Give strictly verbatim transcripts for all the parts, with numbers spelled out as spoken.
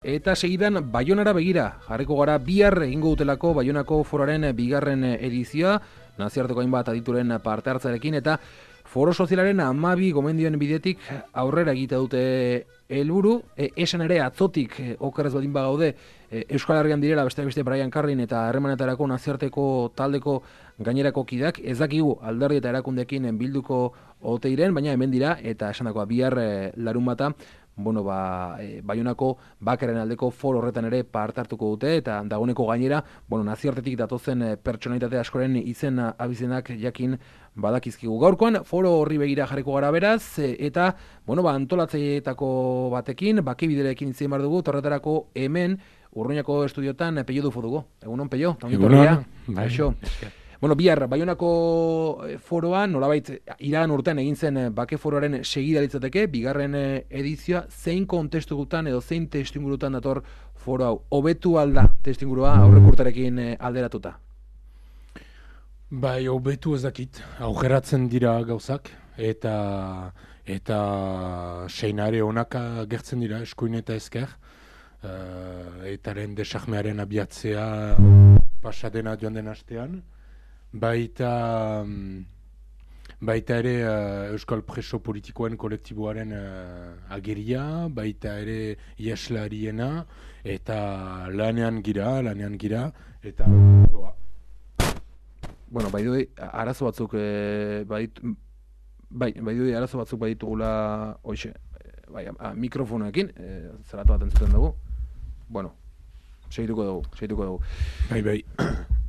Eta segidan Baionara begira, jarriko gara bihar egingo dutelako Baionako foroaren bigarren edizioa, nazioarteko hainbat adituren parte hartzarekin, eta foro sozialaren hamabi gomendioen bidetik aurrera egite dute helburu, e, esan ere atzotik e, okerrez baldin bagaude e, Euskal Herrian direla besteak beste Brian Carlin eta harremanetarako nazioarteko taldeko gainerako kideak, ez dakigu alderdi eta erakundekin bilduko ote diren, baina hemen dira eta esandakoa bihar e, larunbata Bueno, ba, e, Baionako bakaren aldeko foro horretan ere parte hartuko dute eta dagoeneko gainera, bueno, nazioartetik datozen e, pertsonalitate askoren izen abizenak jakin badakizkigu. Gaurkoan foro horri begira jarriko gara beraz e, eta, bueno, ba, antolatzaileetako batekin, bakibiderekin itzen bar dugu, horretarako hemen Urruñako estudiotan Peio Dufo dugu. Egunon, Peio? Egunon, bai. Bueno, bihar, Baionako foroan, nolabait, iragan urtean egin zen bake foroaren segida litzateke, bigarren edizioa, zein kontestugutan edo zein testuingurutan dator foro hau? Hobetu alda testuingurua aurrek urterekin alderatuta? Bai, hobetu ez dakit, aurreratzen dira gauzak, eta eta seinare onak gertzen dira, eskuin eta ezker, uh, etaren desahmearen abiatzea pasadena joan den astean, Baita, baita ere uh, Euskal Preso Politikoen kolektiboaren uh, ageria, baita ere iaslariena, eta lanean gira, lanean gira, eta doa. Bueno, bai du arazo batzuk, e, bait, bai, bai du arazo batzuk baditugula, hoxe, bai, a, mikrofonoekin, e, zeratu bat entzuten dugu. Bueno, segituko dugu, segituko dugu. Bai, bai.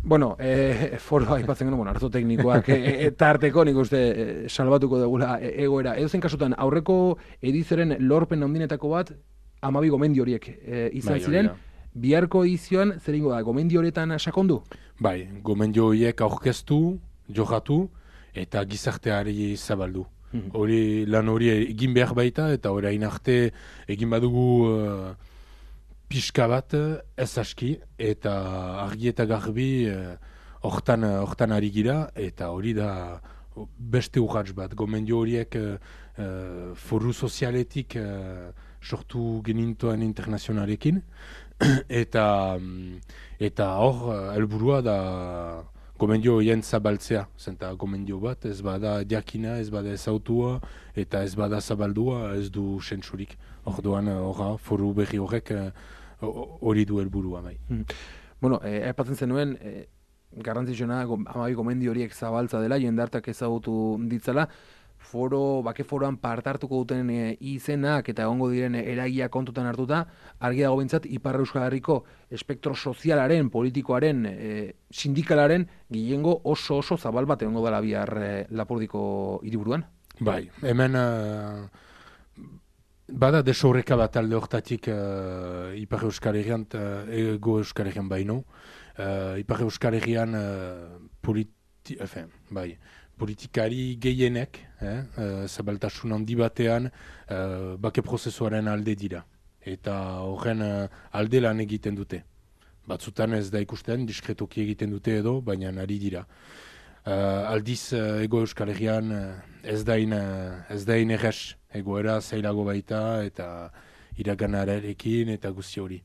Bueno, eh, foroa aipatzen genuen, bueno, arazo teknikoak eta arteko nik uste eh, salbatuko dugula egoera. Edo zen kasutan, aurreko edizioaren lorpen handinetako bat, hamabi gomendio horiek eh, izan bai, ziren, biharko edizioan, zer ingo da, gomendio horietan sakondu? Bai, gomendio horiek aurkeztu, johatu, eta gizarteari zabaldu. Hori mm-hmm. lan hori egin behar baita, eta orain arte egin badugu uh, pixka bat ez aski, eta argi eta garbi hortan uh, uh, ari gira, eta hori da beste urratz bat. Gomendio horiek uh, uh, foru sozialetik uh, sortu genintoen internazionalekin, eta eta hor uh, helburua da gomendio horien zabaltzea. Zenta gomendio bat ez bada jakina, ez bada ezautua, eta ez bada zabaldua, ez du sentsurik. Orduan horra foru berri horrek uh, hori du helburua bai. Hmm. Bueno, eh, aipatzen zenuen, eh, garrantzitsuena hamabi gomendio horiek zabaltza dela, jendartak ezagutu ditzala, foro, bake foroan parte hartuko duten e, izenak eta egongo diren eragia kontutan hartuta, argi dago behintzat Ipar Euskal Herriko espektro sozialaren, politikoaren, e, sindikalaren gehiengo oso oso zabal bat egongo dela bihar e, Lapurdiko hiriburuan. Bai, hemen uh... Bada desorreka bat alde hortatik uh, Ipar Euskal Herrian, uh, ego Euskal Herrian baino. Uh, Ipar Euskal Herrian uh, politi efen, bai, politikari gehienek, eh, uh, zabaltasun handi batean, uh, bake prozesuaren alde dira. Eta horren uh, alde lan egiten dute. Batzutan ez da ikusten, diskretoki egiten dute edo, baina ari dira. Uh, aldiz uh, ego Euskal Herrian uh, ez dain uh, ez dain erres egoera zailago baita eta iraganarekin eta guzti hori.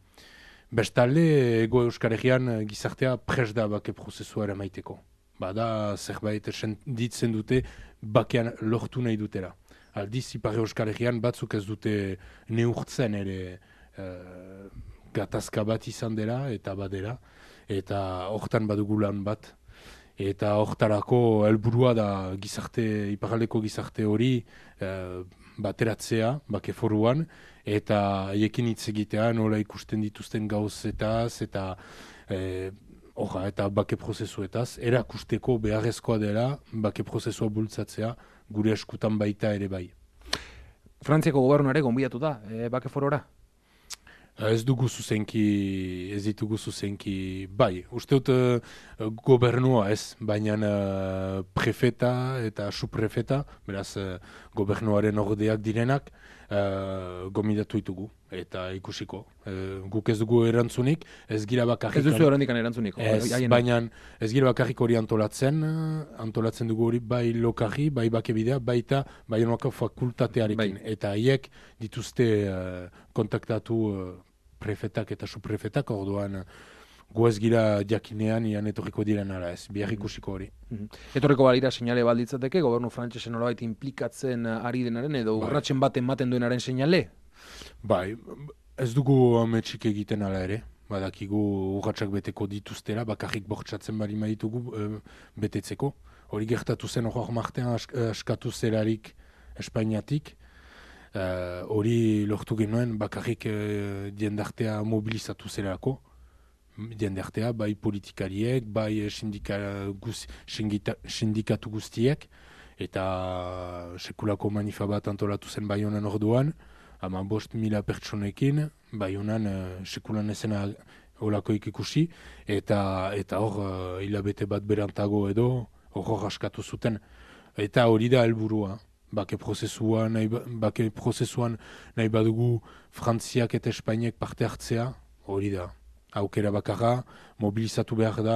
Bestalde ego Euskal Herrian uh, gizartea pres da bake prozesuara maiteko. Bada zerbait ditzen dute bakean lortu nahi dutera. Aldiz Ipar Euskal Herrian batzuk ez dute neurtzen ere uh, gatazka bat izan dela eta badera eta hortan badugu lan bat. Eta hortarako helburua da gizarte, iparraldeko gizarte hori eh, bateratzea, bake foruan, eta haiekin hitz egitea nola ikusten dituzten gauzetaz, eta eh, orra, eta bake prozesuetaz, erakusteko beharrezkoa dela bake prozesua bultzatzea gure eskutan baita ere bai. Frantziako gobernuare gonbidatu da, e, bake forora? Ez dugu zuzenki, ez ditugu zuzenki, bai, uste dut uh, gobernua ez, baina uh, prefeta eta suprefeta, beraz uh, gobernuaren ordeak direnak, uh, gomidatu ditugu, eta ikusiko. Uh, guk ez dugu erantzunik, ez gira bakarrik... Ez duzu erandikan erantzunik. Ez, baina ez gira bakarrik hori antolatzen, antolatzen dugu hori bai lokarri, bai bakebidea, baita Baionako fakultatearekin. Bai. Eta haiek dituzte uh, kontaktatu... Uh, prefetak eta suprefetak, orduan gu ez gira jakinean ian etorriko diren ara ez, bihar ikusiko hori. Etorriko balira seinale balditzateke, gobernu frantsesen nolabait inplikatzen ari denaren edo urratsen bat ematen duenaren seinale? Bai, ez dugu ametsik egiten ala ere, badakigu urratsak beteko dituztera, bakarrik bortxatzen bari maitugu e, betetzeko. Hori gertatu zen hor martean ask, askatu zerarik Espainiatik, hori uh, lortu genuen bakarrik uh, jendartea mobilizatu zerako, jendartea bai politikariek, bai sindika, guz, sindika, sindikatu guztiek, eta sekulako manifa bat antolatu zen Baionan orduan, ama bost mila pertsonekin, Baionan uh, sekulan ezena olakoik ikusi, eta eta hor uh, hilabete bat berantago edo, hor askatu zuten, eta hori da helburua. Bake prozesuan nahi, bake prozesuan nahi badugu Frantziak eta Espainiak parte hartzea, hori da. Aukera bakarra, mobilizatu behar da,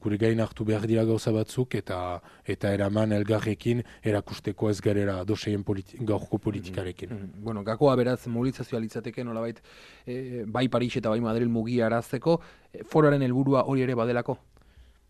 gure gain hartu behar dira gauza batzuk, eta eta eraman elgarrekin erakusteko ez garera doseien politi gaurko politikarekin. Mm -hmm. Bueno, gakoa beraz mobilizazioa litzateke nolabait e, bai Paris eta bai Madrid mugia arazteko, e, foroaren helburua hori ere badelako?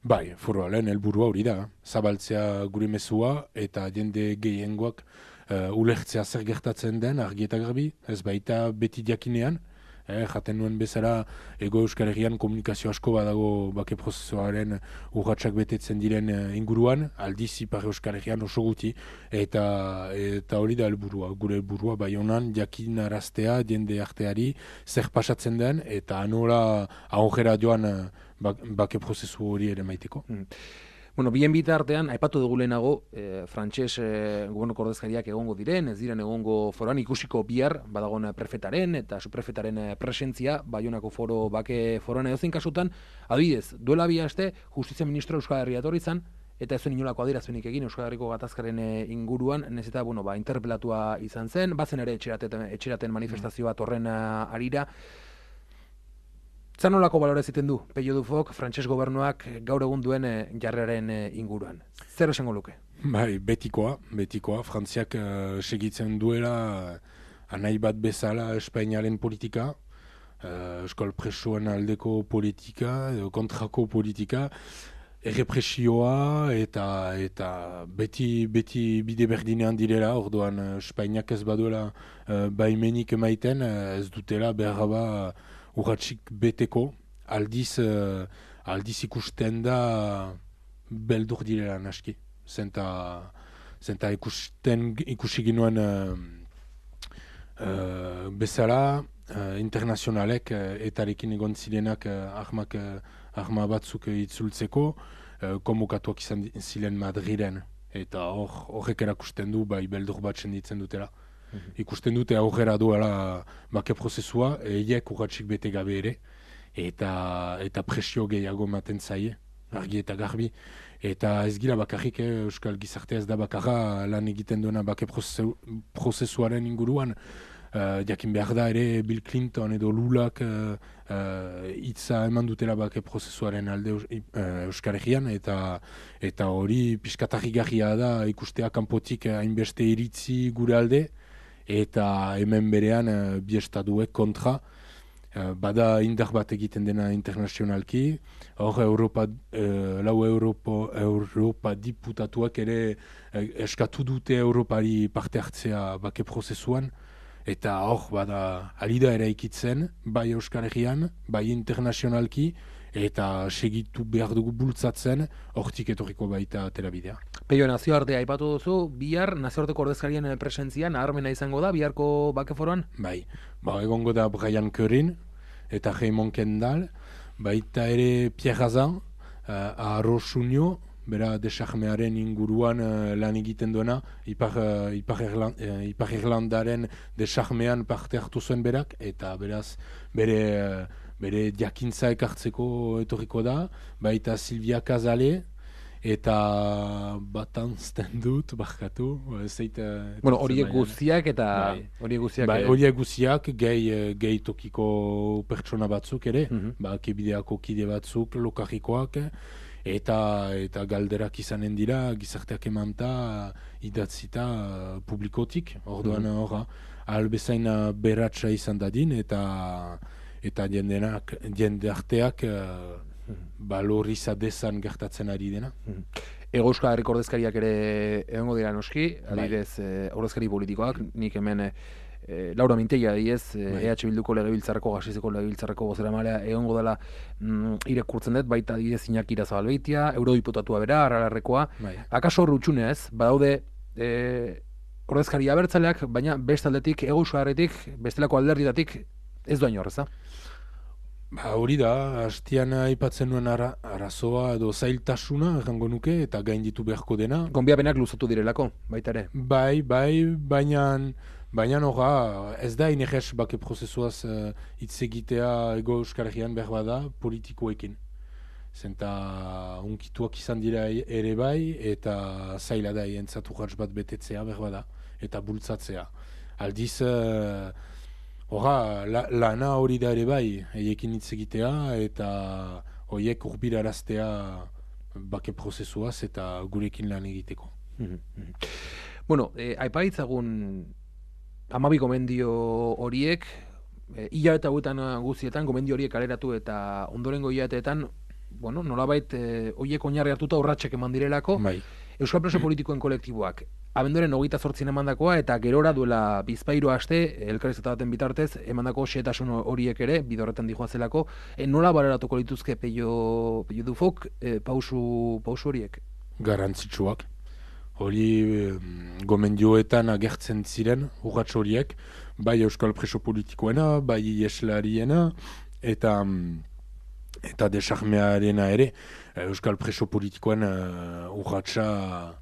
Bai, foroaren helburua hori da, zabaltzea gure mezua eta jende gehiengoak uh, ulertzea zer gertatzen den argi eta garbi, ez baita beti jakinean, eh, jaten nuen bezala Ego Euskal Herrian komunikazio asko badago bake prozesuaren urratsak betetzen diren uh, inguruan, aldiz Ipar Euskal Herrian oso guti, eta eta hori da helburua, gure helburua Baionan jakinaraztea jende arteari zer pasatzen den, eta nola ahogera joan uh, bake prozesu hori ere maiteko. Mm. Bueno, bien bitartean, aipatu dugu lehenago, e, frantses e, gobernuko ordezkariak egongo diren, ez diren egongo foran ikusiko bihar, badagon prefetaren eta suprefetaren presentzia, Baionako foro bake foran edozein kasutan, adibidez, duela bi aste, Justizia Ministro Euskal Herria etorri izan, eta ez zuen inolako adierazpenik egin Euskal Herriko gatazkaren inguruan, nez eta, bueno, ba, interpelatua izan zen, bazen ere etxeraten, etxeraten manifestazio bat horren arira. Zanolako balore ziten du, Pello Dufok, frantses gobernuak gaur egun duen jarreren inguruan? Zer esango luke? Bai, betikoa, betikoa. Frantziak uh, segitzen duela uh, nahi bat bezala Espainiaren politika, uh, euskal presoen aldeko politika, edo kontrako politika, errepresioa eta eta beti beti bide berdinean direla, orduan uh, Espainiak ez baduela uh, baimenik emaiten, uh, ez dutela behar ba urratsik beteko, aldiz, uh, aldiz ikusten da beldur direla naski. Zenta, zenta ikusten, ikusi ginoen uh, uh, bezala, uh, internazionalek uh, etarekin egon zirenak uh, ahmak, uh, ahma batzuk itzultzeko, uh, konbokatuak izan ziren Madrilen. Eta hor, horrek erakusten du, bai beldur bat senditzen dutela. Ikusten dute aurrera duela bake prozesua, eiek urratsik bete gabe ere, eta, eta presio gehiago ematen zaie, argi eta garbi. Eta ez gira bakarrik, eh, Euskal Gizartea ez da bakarra lan egiten duena bake prozesu, prozesuaren inguruan. Uh, jakin behar da ere Bill Clinton edo Lulak uh, uh, itza eman dutela bake prozesuaren alde uh, Euskal Herrian, eta eta hori piskatarrigarria da ikustea kanpotik hainbeste iritzi gure alde, eta hemen berean uh, bi estatuek kontra, uh, bada indar bat egiten dena internazionalki, hor Europa, uh, lau Europa, Europa diputatuak ere uh, eskatu dute Europari parte hartzea bake prozesuan, eta hor bada alida ere ikitzen, bai Euskal Herrian, bai internazionalki, eta segitu behar dugu bultzatzen, hortik etorriko baita terabidea. Peio, nazioartea aipatu duzu, bihar nazioarteko ordezkarien presentzian, naharmena izango da, biharko bakeforoan? Bai, ba, egongo da Brian Currin, eta Raymond Kendall, baita ere Pierre Hazan, uh, Arro Sunio, bera desarmearen inguruan uh, lan egiten duena, Ipar, uh, Ipar, Irland, uh, Ipar Irlandaren desarmean parte hartu zuen berak, eta beraz bere... Uh, bere jakintza ekartzeko etorriko da, baita Silvia Casale, eta batanzten dut, barkatu, zeit... Bueno, horiek guztiak eta... Horiek guztiak... Bai, horiek guztiak, gehi, gehi tokiko pertsona batzuk ere, mm -hmm. ba, kebideako kide batzuk, lokarrikoak, eta eta galderak izanen dira, gizarteak emanta, idatzita publikotik, orduan mm -hmm. horra, albezain beratxa izan dadin, eta... eta jendenak, jende arteak uh, baloriza dezan gertatzen ari dena. Ego Euskal Herriko ordezkariak ere egongo dira noski, adibidez eh, ordezkari politikoak, nik hemen eh, Laura Mintegia diez, eh, E H Bilduko legebiltzarreko, Gasizeko legebiltzarreko bozeramaileak egongo dela mm, irakurtzen dut, baita adibidez Iñaki Irazabalbeitia, eurodiputatua bera, Aralarrekoa. Bai. Akaso hor utxunea ez, badaude eh, ordezkari abertzaleak, baina beste aldetik, Ego Euskal Herritik, bestelako alderdietatik ez doa inorrez, Ba, hori da, hastian aipatzen nuen ara, arazoa edo zailtasuna errango nuke eta gainditu beharko dena. Gonbiapenak luzatu direlako, baita ere. Bai, bai, baina baina noga, ez da inerrez bake prozesuaz uh, hitz egitea Ego Euskal Herrian behar bada politikoekin. Zenta unkituak izan dira ere bai eta zaila da entzatu jartz bat betetzea behar bada eta bultzatzea. Aldiz... Uh, Hora, la, lana hori da ere bai, eiekin hitz egitea eta horiek urbiraraztea bake prozesuaz eta gurekin lan egiteko. Bueno, eh, aipaitzagun hamabi gomendio horiek, eh, hilabete hauetan guztietan gomendio horiek kaleratu eta ondorengo hilabeteetan, bueno, nolabait eh, horiek oinarri hartuta urratsak eman direlako, Bai. Euskal Preso Politikoen kolektiboak abenduaren hogeita zortzin emandakoa eta gerora duela bizpahiru aste elkarrizketa baten bitartez emandako xehetasun horiek ere bide horretan dijoazelako, e, nola bareratuko lituzke Peio Peio Dufok e, pausu pausu horiek? Garrantzitsuak. Hori gomendioetan agertzen ziren urrats horiek, bai Euskal Preso Politikoena, bai Ieslariena eta eta desarmearena ere. Euskal Preso Politikoen uh, urratsa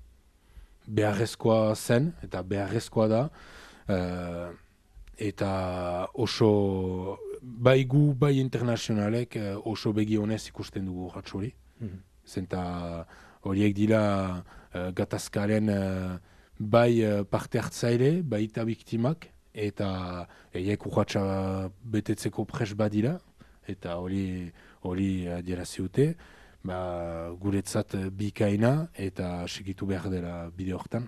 beharrezkoa zen, eta beharrezkoa da, uh, eta oso, bai gu, bai internazionalek uh, oso begi honez ikusten dugu urrats hori. Mm-hmm. Zenta horiek dira uh, gatazkaren uh, bai uh, parte hartzaile, bai eta biktimak, eta eiek urratsa betetzeko pres badira, eta hori hori adierazi dute. Ba, guretzat bikaina eta segitu behar dela bide hortan.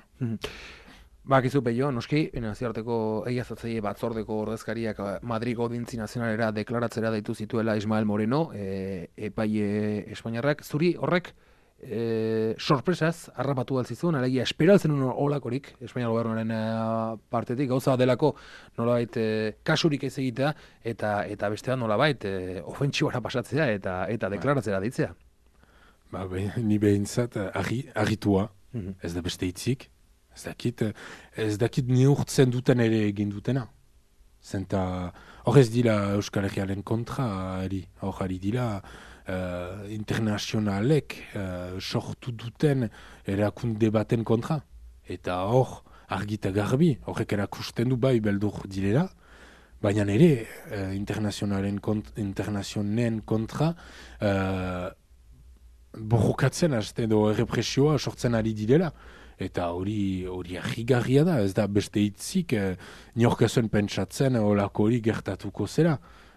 Ba, kizu Peio, noski, naziarteko egiazatzaile batzordeko ordezkariak Madrigo Audintzi Nazionalera deklaratzera deitu zituela Ismael Moreno, e, epaile Espainiarrak. Zuri horrek e, sorpresaz harrapatu altzizun, alegia esperatzen un olakorik Espainiar gobernuaren partetik, gauza delako nolabait e, kasurik ez egitea, eta eta bestean nolabait e, ofentsibara pasatzea eta eta deklaratzera deitzea. Ba, be, ni behintzat argitua, mm-hmm. ez da beste hitzik, ez dakit, ez dakit neurtzen duten ere egin dutena. Zenta, hor ez dira Euskal Herriaren kontra, ari, hor ari dira uh, internazionalek uh, sortu duten erakunde baten kontra. Eta hor, argita garbi, horrek erakusten du bai beldur direla, baina ere uh, internazionalen kont, internazionen kontra uh, borrokatzen hasten edo errepresioa sortzen ari direla. Eta hori hori argigarria da, ez da beste hitzik eh, niorkazuen pentsatzen olako hori gertatuko zera.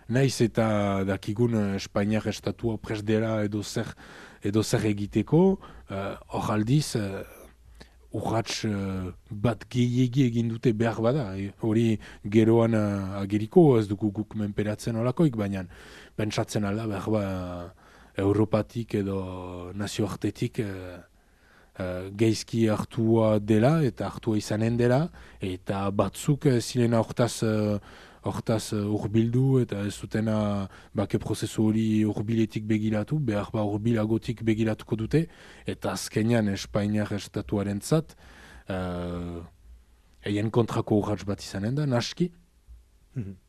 Naiz eta dakigun Espainiar estatua prest dela edo zer, edo zer egiteko, hor uh, aldiz uh, urrats uh, bat gehiegi egin dute behar bada. Hori geroan uh, ageriko, ez dugu guk menperatzen olakoik, baina pentsatzen ala behar ba Europatik edo nazioartetik uh, uh, geizki hartua dela eta hartua izanen dela eta batzuk uh, zirena hortaz uh, hortaz uh, urbildu eta ez zutena bake prozesu hori urbiletik begiratu, behar ba urbilagotik begiratuko dute eta azkenean Espainiar estatuaren zat uh, eien kontrako urrats bat izanen da, naski. Mm-hmm.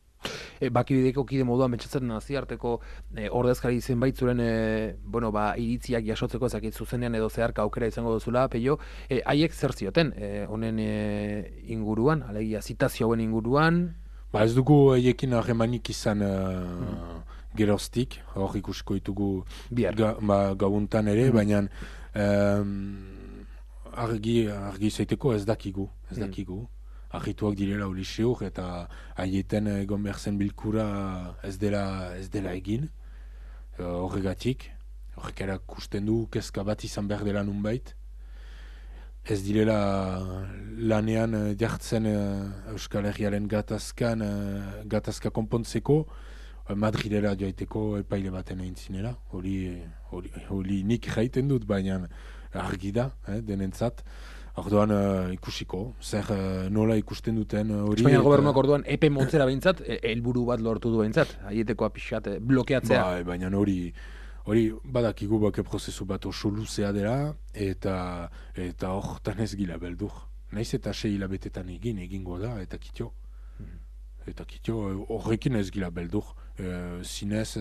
E, bakibideko kide moduan pentsatzen naziarteko e, ordezkari zenbait zuren e, bueno, ba, iritziak jasotzeko ezakit zuzenean edo zeharka aukera izango duzula, Peio, e, haiek zer zioten e, honen e, inguruan, alegia zitazio hauen inguruan? Ba ez dugu haiekin harremanik izan uh, mm. geroztik, hor ikusiko ditugu ga, ba, gauntan ere, mm. baina um, argi, argi zaiteko ez dakigu, ez dakigu. Mm. Argituak direla hori seur eta haietan egon behar zen bilkura ez dela, ez dela egin horregatik. Horrek erakusten du kezka bat izan behar dela nunbait. Ez direla lanean jartzen Euskal Herriaren gatazkan, gatazka konpontzeko Madrilera joaiteko epaile baten egin zinela, hori, hori, hori nik jaiten dut, baina argi da, eh, denentzat. Orduan uh, ikusiko, zer uh, nola ikusten duten hori... Espainiar gobernuak orduan epe motzera behintzat, helburu bat lortu du behintzat, haieteko pixat blokeatzea. Bai, baina hori hori badakigu bake prozesu bat oso luzea dela, eta eta hortan ez gila beldur. Naiz eta sei hilabetetan egin, egingo da, eta kitio. Hmm. Eta kitio horrekin ez gila beldur. E, zinez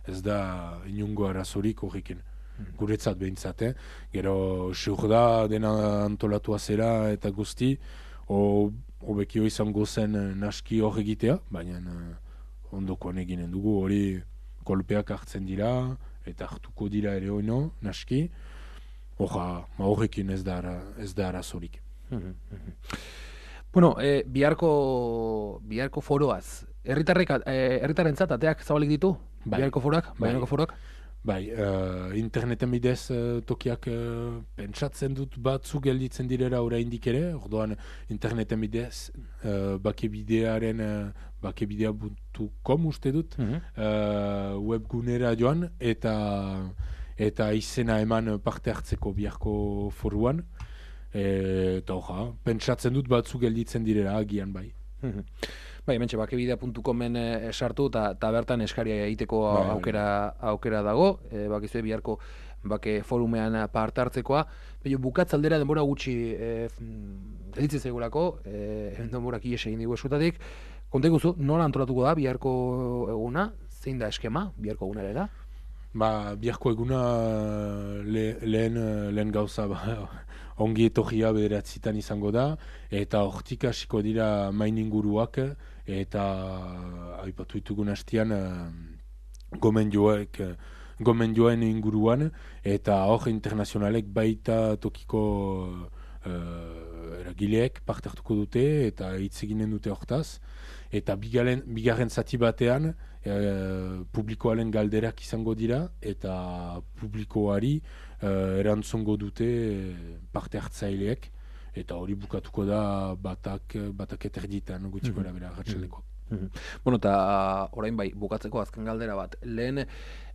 ez da inungo arazorik horrekin. Guretzat behintzat, eh? Gero seur da dena antolatua zera eta guzti, hobekio izango zen naski hor egitea, baina uh, ondokoan eginen dugu hori kolpeak hartzen dira eta hartuko dira ere oino, naski, Oja, ma horrekin ez da, ez da arazorik. Bueno, eh, biharko, biharko foroaz, herritarrek, eh, herritarrentzat ateak zabalik ditu? Bai. Biharko foroak, bai. Baianako foroak? Bai, uh, interneten bidez uh, tokiak uh, pentsatzen dut batzu gelditzen direra oraindik ere, orduan interneten bidez uh, bakebidearen uh, bakebidea puntu com uste dut, uh-huh. uh, webgunera joan eta eta izena eman parte hartzeko biharko foruan, e, eta hoja, pentsatzen dut batzu gelditzen direra agian bai. Uh-huh. Bai, hementxe bakebidea puntu comen e, sartu eta bertan eskaria egiteko bai, aukera, aukera dago, e, bakizue biharko bake forumean parte hartzekoa. Baina bukatzaldera denbora gutxi e, gelditzen zaigulako, e, denborak ies egin digu esutatik. Konta iguzu, nola antolatuko da biharko eguna? Zein da eskema biharko egunarela? Ba, biharko eguna le, lehen, lehen gauza ba, ongi etorria bederatzitan izango da, eta hortik hasiko dira main inguruak, eta aipatu ditugun hastian gomendioek, gomendioen inguruan, eta hor internazionalek baita tokiko uh, eragileek parte hartuko dute, eta hitz eginen dute hortaz, eta bigarren, bigarren zati batean, E, publikoaren galderak izango dira eta publikoari e, erantzongo dute parte hartzaileek eta hori bukatuko da batak, batak eterditan gutxiko mm-hmm. erabera ratxaleko. Mm-hmm. Bueno, eta orain bai, bukatzeko azken galdera bat. Lehen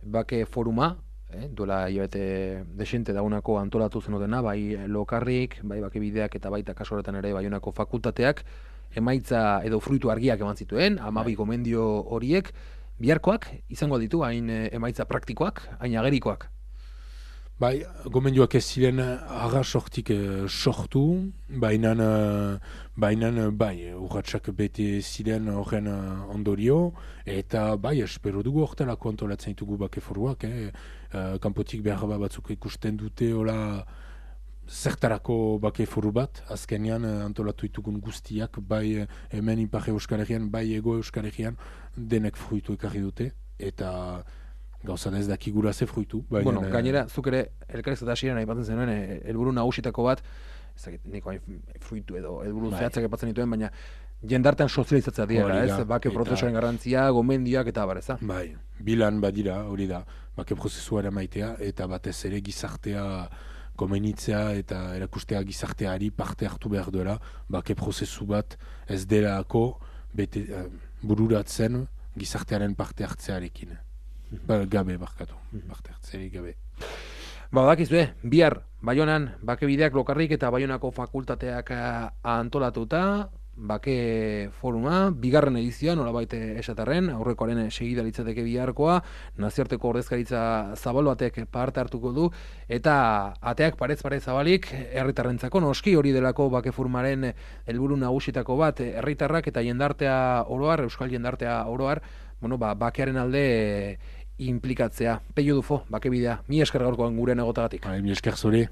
bake foruma, eh, duela hilabete desente daunako antolatu zenotena, bai lokarrik, bai bakebideak eta baita kasu horretan ere baionako fakultateak, emaitza edo fruitu argiak eman zituen, hamabi gomendio horiek, biharkoak izango ditu hain emaitza praktikoak, hain agerikoak? Bai, gomendioak ez ziren arra sortik eh, sortu, baina bainan bai, urratsak bete ziren horren ondorio, eta bai, espero dugu hortelako antolatzen ditugu bake foruak, eh? Uh, kanpotik behar batzuk ikusten dute, hola, zertarako bake foru bat, azkenean antolatu ditugun guztiak, bai hemen Ipar Euskal Herrian, bai Ego Euskal Herrian, denek fruitu ekarri dute, eta gauza ez dakigura ze fruitu. Bueno, e... gainera, zuk ere, elkarrez eta asiren aipatzen zenuen, helburu nagusitako bat, ezagit, niko fruitu edo, helburu bai. Zehatzak aipatzen dituen, baina jendartean sozializatzea dira, ez? Bake prozesuaren garrantzia, gomendioak eta abar, eza? Bai, bilan badira, hori da, bake prozesuaren maitea, eta batez ere gizartea komenitzea eta erakustea gizarteari parte hartu behar duela, bake prozesu bat ez delako bete, uh, bururatzen gizartearen parte hartzearekin. Ba, gabe barkatu, parte hartzearik gabe. Ba, dakizue, bihar, Baionan, bakebideak lokarrik eta Baionako fakultateak antolatuta, bake foruma, bigarren edizioa, nolabait esatarren, aurrekoaren segida litzateke biharkoa, nazioarteko ordezkaritza zabal batek parte hartuko du, eta ateak parez parez zabalik, herritarrentzako noski hori delako bake formaren helburu nagusitako bat, herritarrak eta jendartea oroar, euskal jendartea oroar, bueno, ba, bakearen alde implikatzea. Peio Dufo, bakebidea, mi esker gaurkoan gure negotagatik. Mi esker zure.